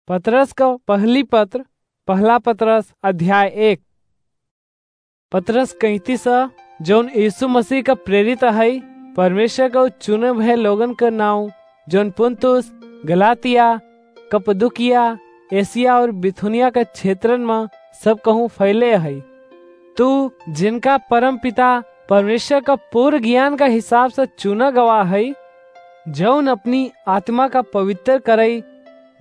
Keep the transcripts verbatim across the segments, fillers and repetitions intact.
पतरस क पहली पत्र, पहला पतरस अध्याय एक। पतरस कैंतीस, जौन यीशु मसीह क प्रेरित अहइ, परमेश्वर क चुने भए लोगन क नाउँ, जौन पुन्तुस, गलातिया, कप्पदुकिया, एसिया और बिथुनिया क क्षेत्रन म सब कहूँ फैले अहइ। तू, जिनका परम पिता परमेश्वर क पूर्ण ज्ञान क हिसाब से चुना गवा हइ, जौन अपनी आत्मा क पवित्र करइ,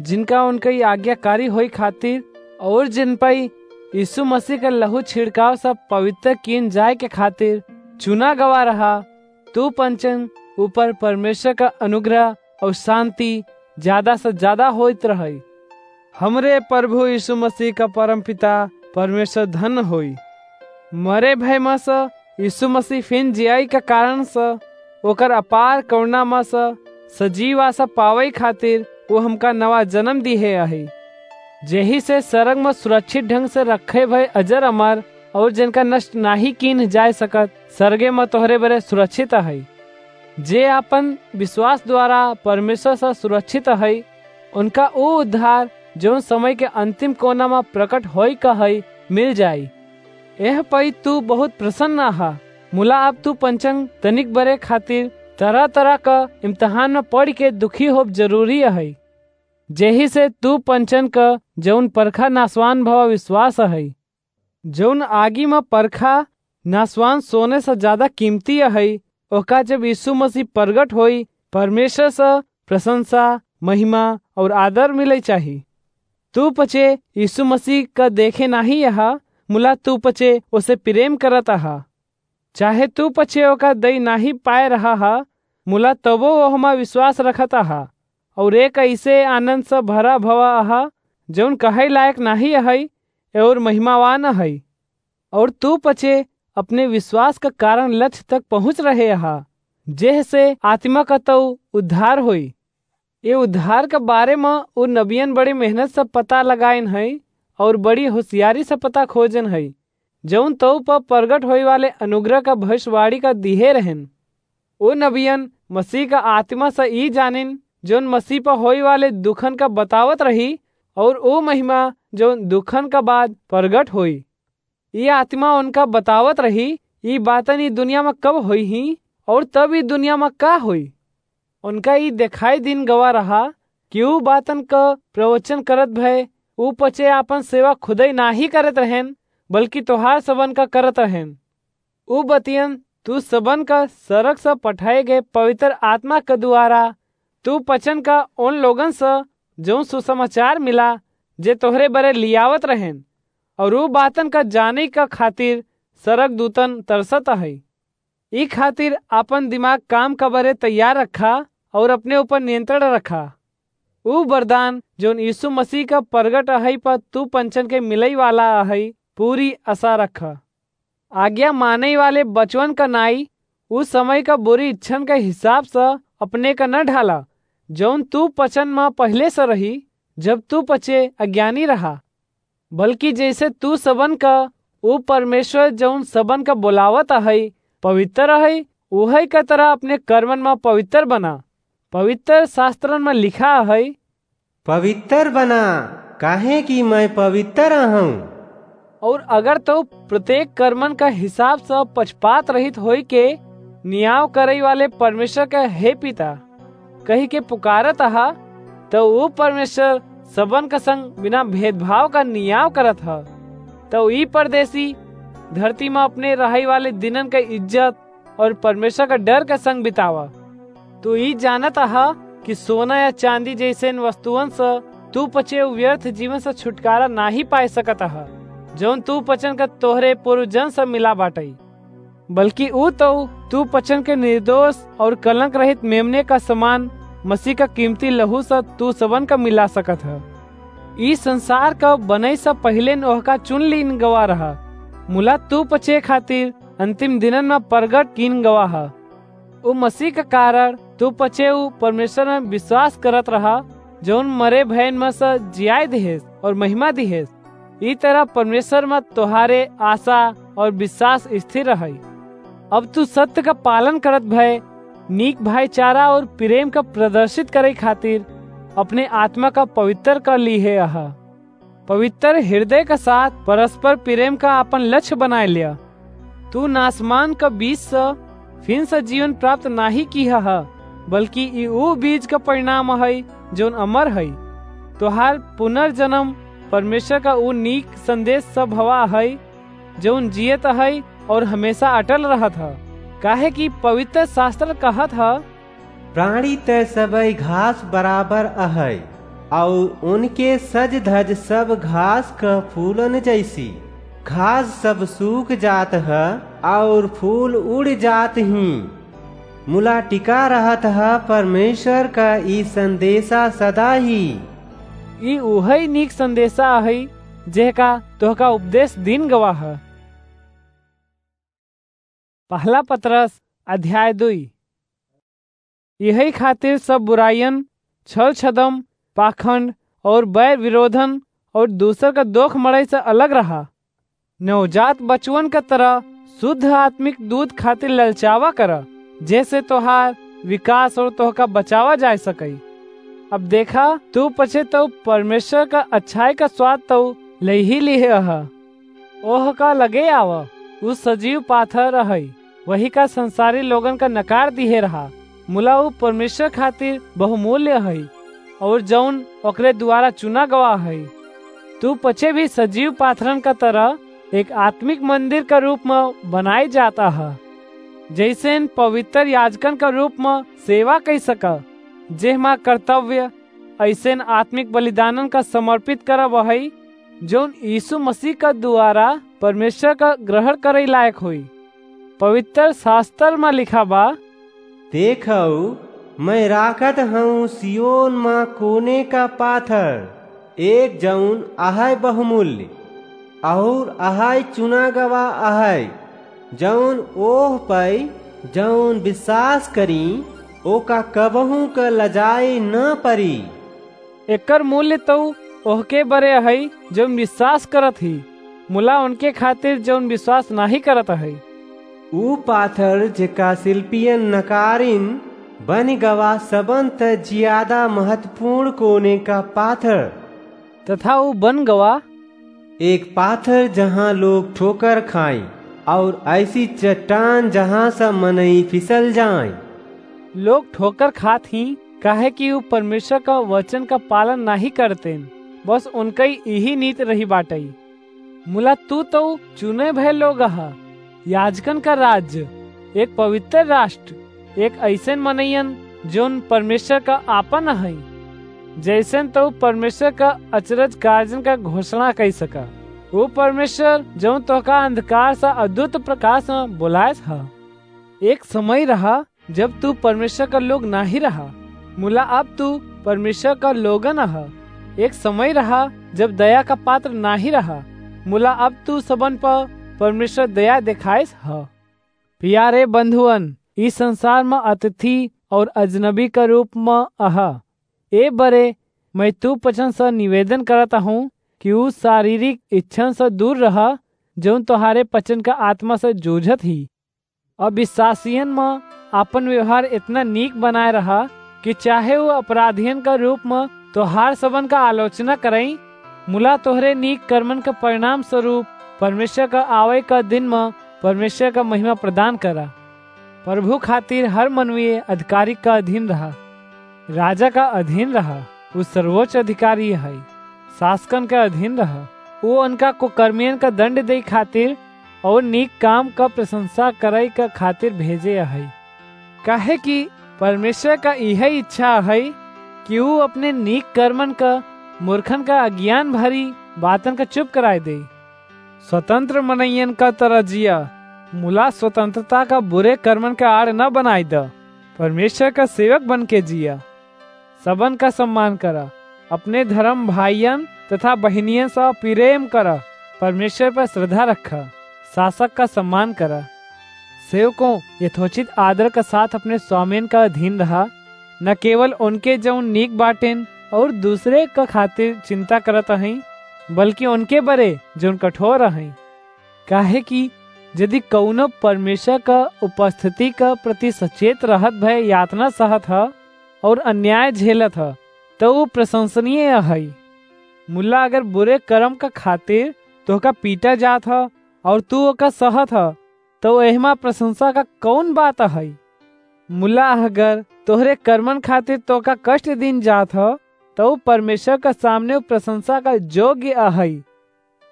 जिनका उनकइ आज्ञाकारी होइ खातिर, और जिन पइ यीशु मसीह क लहू छिड़काव से पवित्र कीन जाए के खातिर चुना गवा रहा, तू पंचन ऊपर परमेश्वर क अनुग्रह और शांति ज्यादा से ज्यादा होइत रहइ। हमरे प्रभु यीशु मसीह क परमपिता परमेश्वर धन्य होई। मरे भय म से यीशु मसीह फिन जियाई क कारण से ओकर अपार करुणा म से सजीव आशा पावइ खातिर वो हमका नवा जन्म दिहे अहइ, जेही से सरग म सुरक्षित ढंग से रखे भय अजर अमर और जिनका नष्ट नाहीं कीन जाए सकत, सरगे म तोहरे बरे सुरक्षित अहइ। जे आपन विश्वास द्वारा परमेश्वर से सुरक्षित अहइ, उनका ऊ उद्धार, जौन समय के अंतिम कोना म प्रकट होई क हइ, मिल जाई। एह पई तू बहुत प्रसन्न अहा, मुला अब तू पंचन तनिक बरे खातिर तरह-तरह क इम्तिहान म पड़ि के दुखी होब जरूरी अहइ, जेही से तू पंचन क जौन परखा नासवान भवा विश्वास अहइ, जौन आगी म परखा नासवान सोने से ज्यादा कीमती अहइ, ओका जब यीशु मसीह प्रगट होई, परमेश्वर से प्रशंसा, महिमा और आदर मिले चाही। तू पचे यीशु मसीह क देखे नाहीं अहा, मुला तू पचे ओसे प्रेम करत अहा। चाहे तू पचे ओका दई नाहीं पाए रहा हा, मुला तबो ओहमा विश्वास रखत अहा, और एक ऐसे आनंद से भरा भवा अहा, जौन कहै लायक नाहीं अहइ और महिमावान अहइ। और तू पचे अपने विश्वास का कारण लक्ष्य तक पहुँच रहे अहा, जेह से आत्मा का तऊ उद्धार होई। ये उद्धार के बारे म उ नबियन बड़ी मेहनत से पता लगाइन हई और बड़ी होशियारी से पता खोजन हई, जौन तऊ पर प्रगट होए वाले अनुग्रह का भविष्यवाणी का दिहे रहन। उ नबियन मसीह का आत्मा से ई जानिन, जौन मसीह पर होए वाले दुखन का बतावत रही और उ महिमा, जौन दुखन का बाद प्रगट होई। ई आत्मा उनका बतावत रही, ई बातन ई दुनिया में कब होई ही और तब ई दुनिया में का होई। उनका ई देखाई दिन गवा रहा कि ऊ बातन क प्रवचन करत भय ऊ पचे आपन सेवा खुदई नाही करत रहेन, बल्कि तोहार सबन का करत रहेन। ऊ बतियन तू सबन का सरग से पठाए गए पवित्र आत्मा के द्वारा तू पचन का उन लोगन से जौन सुसमाचार मिला, जे तोहरे बरे लियावत रहेन, और ऊ बातन का जाने का खातिर सरग दूतन तरसत है। ई खातिर आपन दिमाग काम का बरे तैयार रखा और अपने ऊपर नियंत्रण रखा। ऊ वरदान जौन यीशु मसीह का प्रगट अहई पर तू पंचन के मिलई वाला अहई, पूरी आशा रखा। आज्ञा माने वाले बचवन का नाई, ऊ समय का बुरी इच्छन के हिसाब से अपने का न ढाला, जौन तू पचन में पहले से रही, जब तू पचे अज्ञानी रहा। बल्कि जैसे तू सबन का ऊ परमेश्वर जौन सबन का बुलावत अहई, पवित्र अहई, उहई का तरह अपने कर्मन में पवित्र बना। पवित्र शास्त्रन में लिखा अहई, "पवित्र बना, काहे कि मैं पवित्र अहूँ।" और अगर तू प्रत्येक कर्मन का हिसाब से पक्षपात रहित होई के नियाव करई वाले परमेश्वर का "हे पिता" कही के पुकारत अहा, तो ऊ परमेश्वर सबन का संग बिना भेदभाव का नियाव करत ह। तो ई परदेसी धरती में अपने रहई वाले दिनन का इज्जत और परमेश्वर का डर का संग बितावा। तू ई जानत अहा कि सोना या चांदी जैसे इन वस्तुअन से तू पचे व्यर्थ जीवन से छुटकारा नाही पाए सकत अहा, जौन तू पचन का तोहरे पूर्वजन से मिला बाटई। बल्कि ऊ तो तू पचन के निर्दोष और कलंक रहित मेमने का समान मसीह का कीमती लहू से तू सबन का मिला सकत ह। ई संसार का बनई से पहले ओहका चुन लीन गवा रहा, मुला तू पचे खातिर अंतिम दिनन में प्रगट कीन गवा ह। ऊ मसीह का कारण तू पचे ऊ परमेश्वर में विश्वास करत रहा, जौन मरे भयन में से जियाए दिहेस और महिमा दिहेस। ई तरह परमेश्वर में तोहारे आशा और विश्वास स्थिर रहई। अब तू सत्य का पालन करत भय नीक भाईचारा और प्रेम का प्रदर्शित करे खातिर अपने आत्मा का पवित्र कर लीहे अहा। पवित्र हृदय का साथ परस्पर प्रेम का आपन लक्ष्य बनाए लिया। तू नासमान का बीज स फिन से जीवन प्राप्त नाही किहा ह, बल्कि ई ऊ बीज का परिणाम है, जौन अमर है। तोहार पुनर्जन्म परमेश्वर का ऊ नीक संदेश स भवा है, जौन जियत है और हमेशा अटल रहत ह। काहे कि पवित्र शास्त्र कहत ह, प्राणी त सबई घास बराबर अहै, अउर उनके सज धज सब घास क फूलन जैसी। घास सब सूख जात ह, अउर फूल उड़ जात ही, मुला टिका रहत ह परमेश्वर क ई संदेशा सदा ही। ई उहई नीक संदेशा अहई, जेहका तोहका उपदेश दिन गवा ह। पहला पतरस अध्याय दुई। यही खातिर सब बुराइयन, छल छदम, पाखंड और बैर विरोधन और दूसर का दोख मड़ई से अलग रहा। नवजात बचवन का तरह शुद्ध आत्मिक दूध खातिर ललचावा कर, जैसे तोहार विकास और तोहका बचावा जा सकई। अब देखा, तू पछे तो परमेश्वर का अच्छाई का स्वाद तो ले ही लिहे अहा। ओह का लगे आवा, उ सजीव पाथर अहई, वही का संसारी लोगन का नकार दिहे रहा, मुला उ परमेश्वर खातिर बहुमूल्य अहई, और जौन ओकरे द्वारा चुना गवा है। तू पछे भी सजीव पाथरन का तरह एक आत्मिक मंदिर का रूप में बनाई जाता है, जैसेन पवित्र याजकन का रूप में सेवा कई सका, जेहमा कर्तव्य ऐसेन आत्मिक बलिदानन का समर्पित करब है, जौन यीशु मसीह का द्वारा परमेश्वर का ग्रहण करे लायक होई। पवित्र शास्त्र में लिखा बा, देखऊ, मैं राखत हूँ सियोन मा कोने का पाथर, एक जौन अहय बहुमूल्य, और अहय चुना गवा अहय, जौन ओह पै जौन विश्वास करी, ओका कबहूँ क लजाए न परी। एकर मूल्य तऊ ओहके बरे अहई, जौन विश्वास करत ही, मुला उनके खातिर जौन विश्वास नाही करत अहई। ऊ पाथर, जेका शिल्पियन नकारिन, बन गवा सबन त जियादा महत्वपूर्ण कोने का पाथर। तथा ऊ बन गवा एक पाथर, जहाँ लोग ठोकर खाएं, और ऐसी चट्टान, जहाँ से मनई फिसल जाएं। लोग ठोकर खात ही, काहे कि ऊ परमेश्वर का वचन का पालन नाही करतेन, बस उनकई यही नीत रही बाटई। मुला तू तो चुने भय लोग ह, याजकन का राज्य, एक पवित्र राष्ट्र, एक ऐसन मनैयन जौन परमेश्वर का आपन हई, जैसन तो परमेश्वर का अचरज कार्जन का घोषणा कई सका। वो परमेश्वर जौन तोहका अंधकार से अद्भुत प्रकाश में बुलायस ह। एक समय रहा जब तू परमेश्वर का लोग नाही रहा, मुला अब तू परमेश्वर का लोगन ह। एक समय रहा जब दया का पात्र नाही रहा, मुला अब तू सबन पर परमेश्वर दया देखाइस ह। प्यारे बंधुअन, ई संसार में अतिथि और अजनबी का रूप में अहा। ए बरे मैं तू पचन से निवेदन करत हूँ कि ऊ शारीरिक इच्छन से दूर रहा, जौन तोहारे पचन का आत्मा से जूझत ही। अविश्वासियन में आपन व्यवहार इतना नीक बनाए रहा कि चाहे वो अपराधियन का रूप में तोहार सबन का आलोचना करई, मुला तोहरे नीक कर्मन के परिणाम स्वरूप परमेश्वर का आवे का दिन में परमेश्वर का महिमा प्रदान करा। प्रभु खातिर हर मनवीय अधिकारी का अधीन रहा, राजा का अधीन रहा, ऊ सर्वोच्च अधिकारी है, शासकन के अधीन रहा। ऊ उनका कुकर्मियन का दंड दे खातिर और नीक काम का प्रशंसा करे का खातिर भेजे है, काहे कि परमेश्वर का यह इच्छा है कि ऊ अपने नीक कर्मन का मूर्खन का अज्ञान भरी बातन का चुप कराए दे। स्वतंत्र मनइयन का तरह जिया, मुला स्वतंत्रता का बुरे कर्मन का आड़ न बनाई द। परमेश्वर का सेवक बन के जिया। सबन का सम्मान करा, अपने धर्म भाइयन तथा बहिनियन से प्रेम करा, परमेश्वर पर श्रद्धा रखा, शासक का सम्मान करा। सेवकों, यथोचित आदर का साथ अपने स्वामियन का अधीन रहा, न केवल उनके जौन नीक बाटेन और दूसरे का खातिर चिंता करत हईं, बल्कि उनके बरे जौन कठोर हईं। काहे कि यदि कउनो परमेश्वर का उपस्थिति का प्रति सचेत रहत भय यातना सहत ह और अन्याय झेलत ह, तो ऊ प्रशंसनीय अहइ। मुला, अगर बुरे कर्म का खातिर तोहका पीटा जात ह और तू ओका सहत ह, तो एहमा प्रशंसा का कौन बात अहइ? मुला, अगर तोहरे कर्मन खातिर तोहका कष्ट दीन जात ह, तो ऊ परमेश्वर का सामने ऊ प्रशंसा का योग्य अहइ।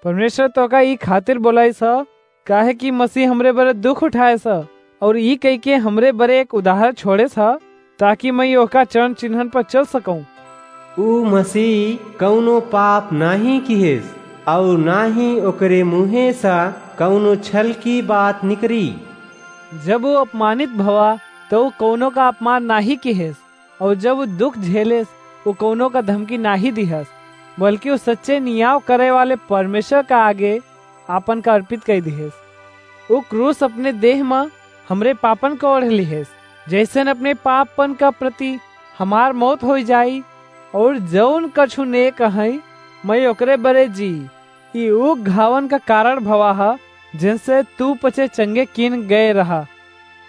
परमेश्वर तोहका ई खातिर बोलाइस ह, काहे कि मसीह हमरे बरे दुख उठाएस ह और ई कहिके हमरे बरे एक उदाहरण छोड़ेस ह, ताकि मैं ओका चरण चिन्हन पर चल सकूं। ऊ मसीह कौनो पाप नाहीं किहेस और ना ही ओकरे मुँहे से कौनो छल की बात निकरी। जब ऊ अपमानित भवा, तो ऊ कौनो का अपमान नाहीं किहेस, और जब ऊ दुख झेलेस, ऊ कौनो का धमकी नाहीं दिहस, बल्कि ऊ सच्चे नियाव करे वाले परमेश्वर का आगे आपन का अर्पित कर दिहेस। ऊ क्रूस अपने देह म हमरे पापन का ओढ़ लिहेस, जैसन अपने पापन का प्रति हमार मौत हो जाई, और जौन कछु नेक अहइ, मैं ओकरे बरे जी। ई ऊ घावन का कारण भवा ह, जिनसे तू पचे चंगे किन गए रहा।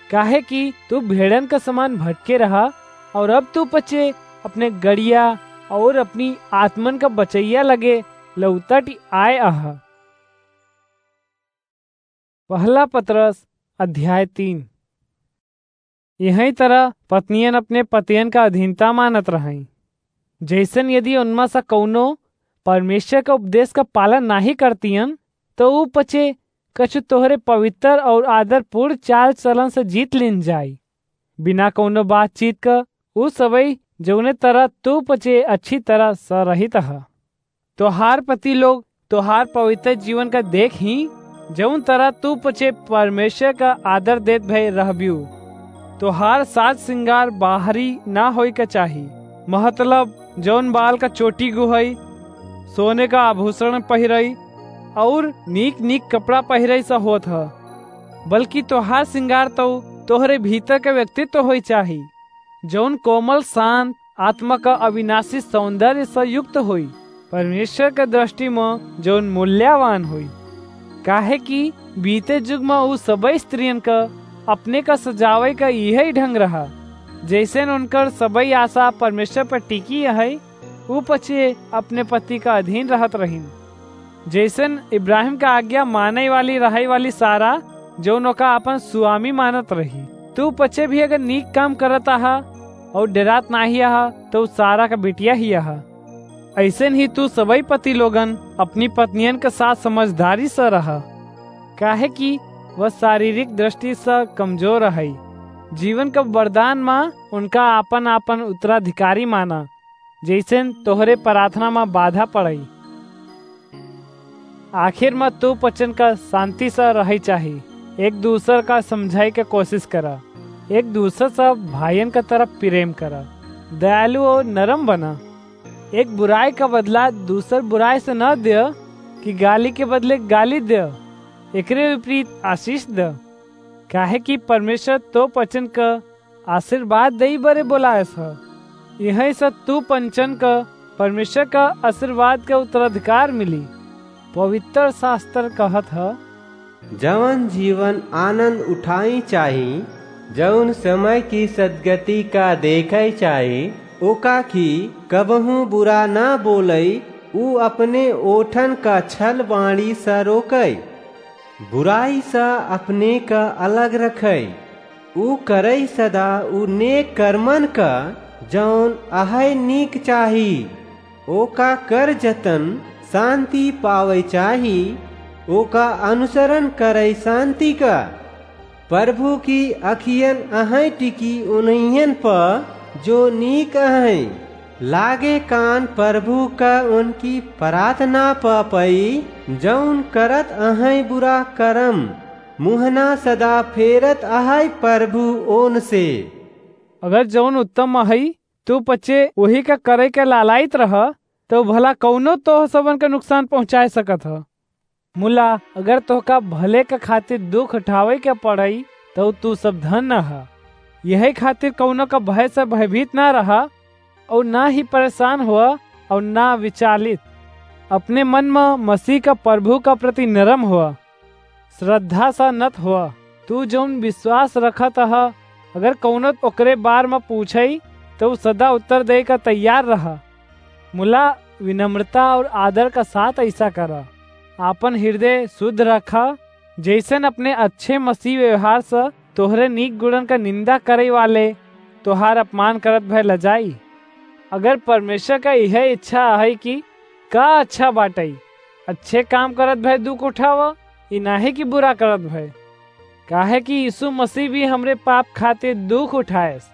काहे कि तू भेड़न का समान भटके रहा, और अब तू पचे अपने गड़िया और अपनी आत्मन का बचैया लगे लौटि आए अहा। पहला पतरस अध्याय तीन। यही तरह पत्नियन अपने पतियन का अधीनता मानत रहईं। जैसन यदि उनमें से कौनो परमेश्वर का उपदेश का पालन नाहीं करतियन, तो ऊ पचे कछु तोहरे पवित्र और आदरपूर्ण चाल चलन से जीत लीन जाई। बिना कौनो बातचीत का ऊ सबई जौने तरह तू पचे अच्छी तरह से रहित ह। तोहार पति लोग तोहार पवित्र जीवन का देख ही, जौन तरह तू पचे परमेश्वर का आदर देत भए रहबियू। तोहार साज सिंगार बाहरी ना होई का चाही, मतलब जौन बाल का चोटी गुहई, सोने का आभूषण पहिरई और नीक नीक कपड़ा पहिरई सा होत ह, बल्कि तोहार सिंगार तो तोहरे भीतर का व्यक्तित्व होई चाही, जौन कोमल, शांत, आत्मा का अविनाशी सौंदर्य से युक्त होई, परमेश्वर के दृष्टि में जौन मूल्यवान होई। काहे कि बीते युग में ऊ सबई स्त्रियन का अपने का सजावे का यही ढंग रहा, जैसन उनकर सबई आशा परमेश्वर पर टिकी है, ऊ पचे अपने पति का अधीन रहत रहिन। जैसन इब्राहिम का आज्ञा माने वाली, रहई वाली सारा, जौन ओका आपन स्वामी मानत रही। तू पचे भी अगर नीक काम करत आहा और डरात नाही आहा, तो ऊ सारा का बिटिया ही आहा। ऐसन ही तू सबई पति लोगन अपनी पत्नियन के साथ समझदारी से रहा, काहे कि वह शारीरिक दृष्टि से कमजोर है। जीवन का वरदान मा उनका आपन आपन उत्तराधिकारी माना, जैसन तोहरे प्रार्थना मा बाधा पड़ई। आखिर मा तू पचन का शांति से रहई चाही। एक दूसर का समझाई के कोशिश करा। एक दूसर से भाइयन का तरह प्रेम करा। दयालु और नरम बना। एक बुराई का बदला दूसर बुराई से न दे, कि गाली के बदले गाली दे। एकरे विपरीत आशीष दे। काहे कि परमेश्वर तो पचन का आशीर्वाद देई बरे बोलायस ह। यही से तू पंचन का परमेश्वर का आशीर्वाद का उत्तराधिकार मिली। पवित्र शास्त्र कहत ह, जवन जीवन आनंद उठाई चाही, जौन समय की सदगति का देखई चाही, ओका की कबहूँ बुरा ना बोलई, ऊ अपने ओठन का छल वाणी से रोकई। बुराई से अपने का अलग रखई। ऊ करई सदा ऊ नेक कर्मन का, जौन अहई नीक चाही। ओका कर जतन शांति पावई चाही, ओका अनुसरण करई शांति का। प्रभु की अखियन अहई टिकी उन्हियन प जो नीक अहई। लागे कान प्रभु का उनकी प्रार्थना प पई, जौन करत अहई बुरा करम, मुहना सदा फेरत अहई प्रभु ओन से। अगर जौन उत्तम अहई, तू पचे वही का करे के लालायित रह, तो भला कौनो तोह सबन के नुकसान पहुँचाए सकत ह। मुला, अगर तोहका भले के खातिर दुख उठावे के पड़ई, तो तू सब धन्य ह। यही खातिर कौनो का भय से भयभीत ना रहा, और ना ही परेशान हुआ, और ना विचालित। अपने मन में मसीह का प्रभु का प्रति नरम हुआ, श्रद्धा सा नत हुआ। तू जौन विश्वास रखत ह, अगर कौनो ओकरे बार में पूछई, तो ऊ सदा उत्तर दे का तैयार रहा। मुला विनम्रता और आदर का साथ ऐसा करा। आपन हृदय शुद्ध रखा, जैसन अपने अच्छे मसीह व्यवहार से तोहरे नीक गुणन का निंदा करे वाले तोहार अपमान करत भय लजाई। अगर परमेश्वर का यह इच्छा है कि का अच्छा बाटई, अच्छे काम करत भय दुख उठावा, ई नाहीं कि बुरा करत भय। काहे कि यीशु मसीह भी हमरे पाप खातिर दुख उठाएस,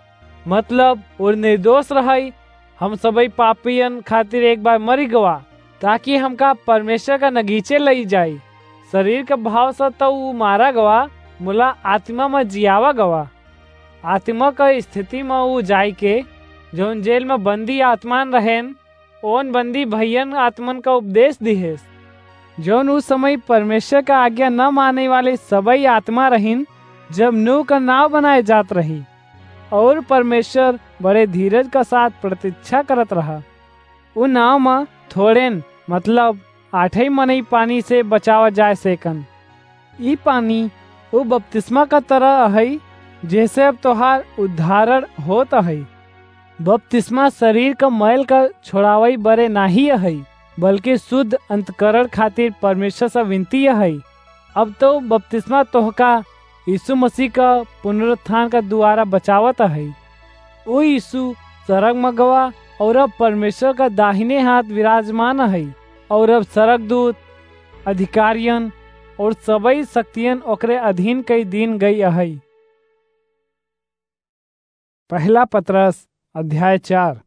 मतलब और निर्दोष रहई, हम सबई पापियन खातिर एक बार मरी गवा, ताकि हमका परमेश्वर का नगीचे लई जाई। शरीर के भाव से तो ऊ मारा गवा, मुला आत्मा में जियावा गवा। आत्मा का स्थिति में ऊ जाई के जौन जेल में बंदी आत्मान रहेन, ओन बंदी भैयन आत्मन का उपदेश दिहेस, जौन उस समय परमेश्वर का आज्ञा न माने वाले सबई आत्मा रहिन, जब नूह का नाव बनाए जात रही, और परमेश्वर बड़े धीरज का साथ प्रतीक्षा करत रहा। उ नाव में थोड़ेन, मतलब आठई मनई पानी से बचावा जाए सेकन। ई पानी उ बपतिस्मा का तरह अहई, जेसे अब तोहार उद्धारण होत अहई। बपतिस्मा शरीर का मैल का छोड़ावई बरे नाहीं अहई, बल्कि शुद्ध अंतकरण खातिर परमेश्वर से विनती अहई। अब तो बपतिस्मा तोहका यीशु मसीह का पुनरुत्थान का द्वारा बचावत अहई। उ यीशु सरग में गवा और अब परमेश्वर का दाहिने हाथ विराजमान अहई, और अब सरगदूत, अधिकारियन और सबई शक्तियन ओकरे अधीन कई दीन गई अहई। पहला पतरस अध्याय चार।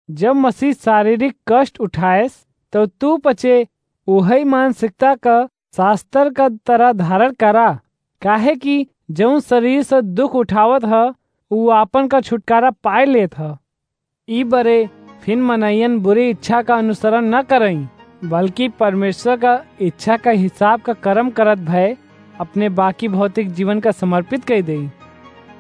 जब मसीह शारीरिक कष्ट उठाएस, तो तू पचे उहई मानसिकता का शास्त्र का तरह धारण करा, काहे कि जौन शरीर से दुख उठावत ह, उ आपन का छुटकारा पाए लेत ह। ई बरे फिन मनइयन बुरी इच्छा का अनुसरण न करई, बल्कि परमेश्वर का इच्छा का हिसाब का कर्म करत भय अपने बाकी भौतिक जीवन का समर्पित कर देई।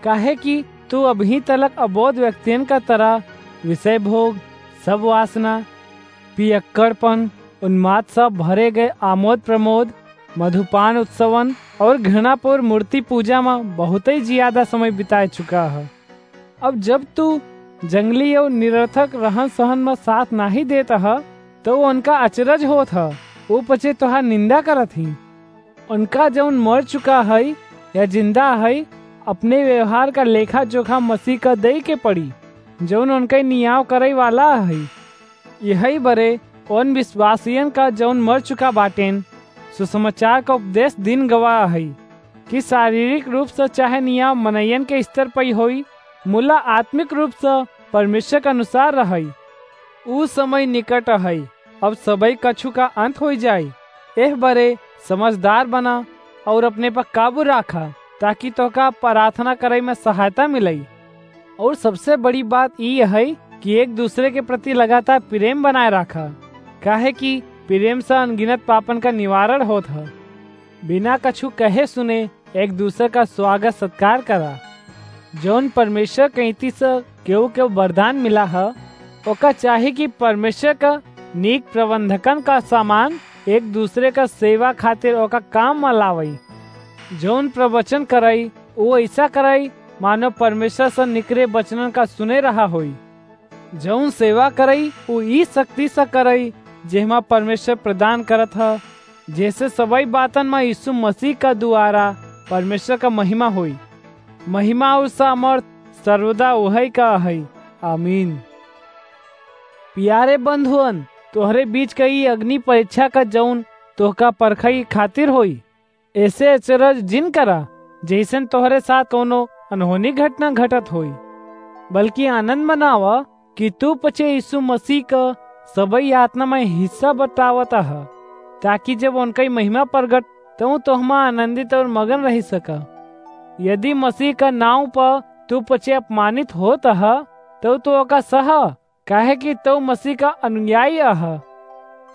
काहे कि तू अबहीं तलक अबोध व्यक्तियन का तरह विषय भोग, सब वासना, पियक्कड़पन, उन्माद से भरे गए आमोद प्रमोद, मधुपान उत्सवन और घृणापूर्ण मूर्ति पूजा में बहुतई ज्यादा समय बिताए चुका ह। अब जब तू जंगली और निरर्थक रहन सहन में साथ नाहीं देत ह, तो उनका अचरज होत ह, वो पचे तोहार निंदा करत ही। उनका जौन मर चुका है या जिंदा है, अपने व्यवहार का लेखा जोखा मसीह का दे के पड़ी, जौन उनके नियाव करे वाला है। यही बरे उन विश्वासियन का जौन मर चुका बाटेन, सुसमाचार का उपदेश दिन गवाह है कि शारीरिक रूप से चाहे नियाव मनयन के स्तर पर ही होई, मुला आत्मिक रूप से परमेश्वर के अनुसार रहई। ऊ समय निकट है, अब सबई कछु का अंत होई जाई। एह बरे समझदार बना और अपने पर काबू राखा, ताकि तोहका प्रार्थना करे में सहायता मिलई। और सबसे बड़ी बात ई है कि एक दूसरे के प्रति लगातार प्रेम बनाए राखा, काहे कि प्रेम से अनगिनत पापन का निवारण होत है। बिना कछु कहे सुने एक दूसरे का स्वागत सत्कार करा। जौन परमेश्वर कईती से केहू के वरदान मिला ह, ओका चाही कि परमेश्वर का नीक प्रबंधकन का सामान एक दूसरे का सेवा खातिर ओका काम में लावई। जौन प्रवचन करई, वो ऐसा करई मानो परमेश्वर से निकरे वचनन का सुने रहा होई। जौन सेवा करई, उ ई शक्ति से करई, जेहमा परमेश्वर प्रदान करत ह, जैसे सबई बातन में यीशु मसीह का द्वारा परमेश्वर का महिमा होई। महिमा और सामर्थ सर्वदा उहई का हई। आमीन। प्यारे बंधुअन, तोहरे बीच का ई अग्नि परीक्षा का जौन तोहका परखई खातिर होई, ऐसे अचरज जिन करा, जैसन तोहरे साथ कौनो अनहोनी घटना घटत होई, बल्कि आनंद मनावा कि तू पचे यीशु मसीह का सबई यातना में हिस्सा बतावत ह, ताकि जब उनका महिमा प्रगट, तो तोहमा आनंदित और मगन रह सका। यदि मसीह का नाव पर तू पचे अपमानित होत ह, तो तू ओका सह, काहे कि तू मसीह का अनुयायी अह।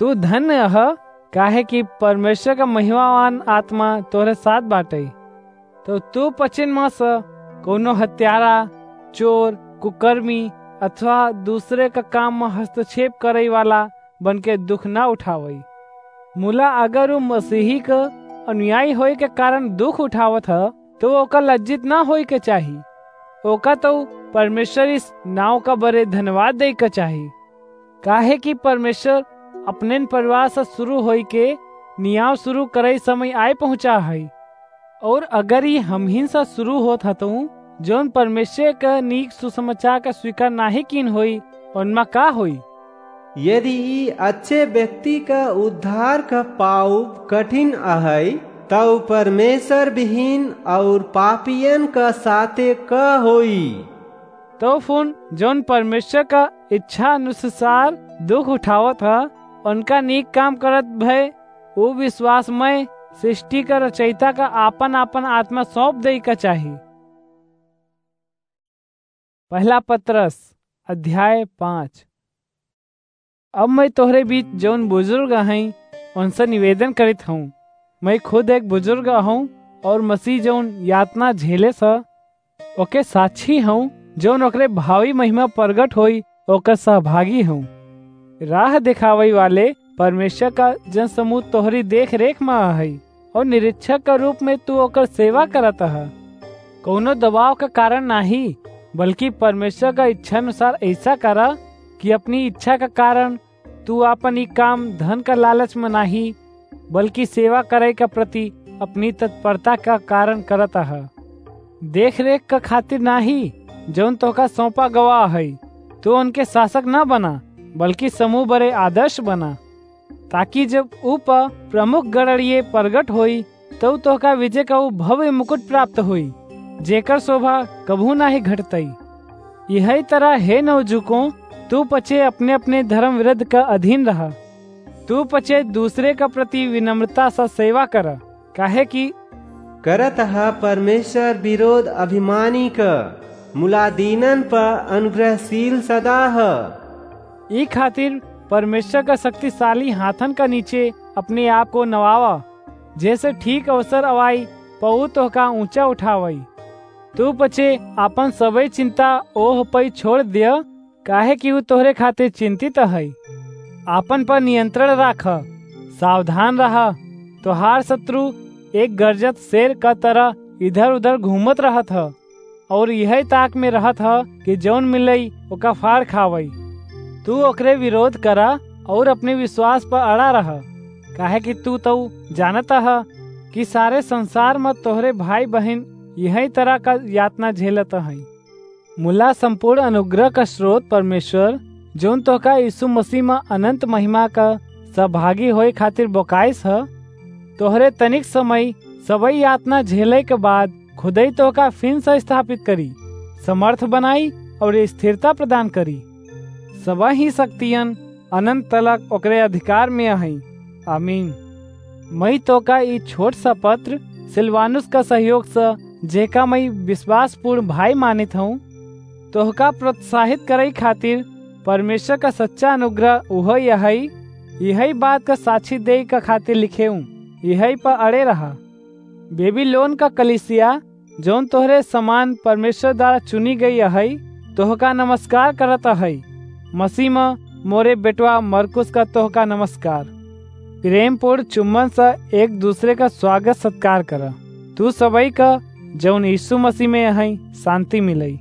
तू धन्य अह, काहे कि परमेश्वर का महिमावान आत्मा तोरे साथ बाटे। तो तू पचिन में से कोनो हत्यारा, चोर, कुकर्मी अथवा दूसरे का काम में हस्तक्षेप करे वाला बन के दुख ना उठावई। मुला अगर उ मसीही का अनुयायी होए के कारण दुख उठावत ह, तो ओका लज्जित ना होए के चाही। ओका तो परमेश्वर इस नाव का बरे धन्यवाद दे के चाही। काहे कि परमेश्वर अपनेन परिवार से शुरू होई के नियाव शुरू करई समय आए पहुँचा है। और अगर ई हमहिन से शुरू होत हतऊ, जौन परमेश्वर का नीक सुसमाचार का स्वीकार नाहीं कीन होई, उनमा का होई? यदि ई अच्छे व्यक्ति का उद्धार का पाउब कठिन अहई, तउ परमेश्वर विहीन और पापियन का साथे का होई? तो फुन जौन परमेश्वर का इच्छा अनुसार दुख उठावत ह, उनका नीक काम करत भय, उ विश्वासमय सृष्टि का रचयिता का आपन आपन आत्मा सौंप देई का चाही। पहला पतरस अध्याय पाँच। अब मैं तोहरे बीच जौन बुजुर्ग हईं, उनसे निवेदन करित हूँ। मैं खुद एक बुजुर्ग हूँ और मसीह जौन यातना झेले स, ओके साक्षी हूँ, जौन ओकरे भावी महिमा प्रगट होई, ओकर सहभागी हूँ। राह देखावई वाले परमेश्वर का जन समूह तोहरी देख रेख में हई और निरीक्षक का रूप में तू ओकर सेवा करत ह। कौनो दबाव का कारण नाही, बल्कि परमेश्वर का इच्छा अनुसार ऐसा करा कि अपनी इच्छा का कारण तू आपन ई काम धन का लालच में नाही, बल्कि सेवा करे का प्रति अपनी तत्परता का कारण करत ह। देख रेख का खातिर नाही, जौन तोहका सौंपा गवा है, तू उनके शासक ना बना, बल्कि समूह बरे आदर्श बना, ताकि जब ऊ प प्रमुख गड़रिये प्रगट होई, तब तोहका विजय का ऊ भव्य मुकुट प्राप्त होई, जेकर शोभा कभू नाही घटतई। यही तरह हे नवजुको, तू पचे अपने अपने धर्म विरुद्ध का अधीन रहा। तू पचे दूसरे का प्रति विनम्रता से सेवा कर, काहे कि करत ह परमेश्वर विरोध अभिमानी क, मुला दीनन प अनुग्रहशील सदा ह। ई खातिर परमेश्वर का शक्तिशाली हाथन का नीचे अपने आप को नवावा, जैसे ठीक अवसर अवाई पऊ तोहका ऊंचा उठावई। तू पचे आपन सबई चिंता ओह पई छोड़ दिय, काहे कि ऊ तोहरे खातिर चिंतित है। आपन पर नियंत्रण राख, सावधान रह। तोहार शत्रु एक गरजत शेर का तरह इधर उधर घूमत रहत ह और यही ताक में रहत ह कि जौन मिलई ओका फाड़ खावई। तू ओकरे विरोध करा और अपने विश्वास पर अड़ा रह, काहे कि तू तऊ जानत ह कि सारे संसार में तोहरे भाई बहन यही तरह का यातना झेलत हैं। मुला संपूर्ण अनुग्रह का स्रोत परमेश्वर, जौन तोहका यीशु मसीह में अनंत महिमा का सहभागी होए खातिर बोकाइस ह, तोहरे तनिक समय सबई यातना झेले के बाद खुदई तोहका फिन से स्थापित करी, समर्थ बनाई और स्थिरता प्रदान करी। सबही शक्तियन अनंत तलक ओकरे अधिकार में हई। आमीन। मई तोहका ई छोट सा पत्र सिलवानुस का सहयोग से, जेका मई विश्वासपूर्ण भाई मानित हूँ, तोहका प्रोत्साहित करई खातिर परमेश्वर का सच्चा अनुग्रह उहो यहई, यही बात का साक्षी देई का खातिर लिखे हूँ, यही पर अड़े रहा। बेबीलोन का कलीसिया, जौन तोहरे समान परमेश्वर द्वारा चुनी गई अहई, तोहका नमस्कार करत अहई। मसीह में मोरे बेटवा मरकुस का तोहका नमस्कार। प्रेमपूर्ण चुम्बन से एक दूसरे का स्वागत सत्कार कर। तू सबई का, जौन यीशु मसीह में अहई, शांति मिलई।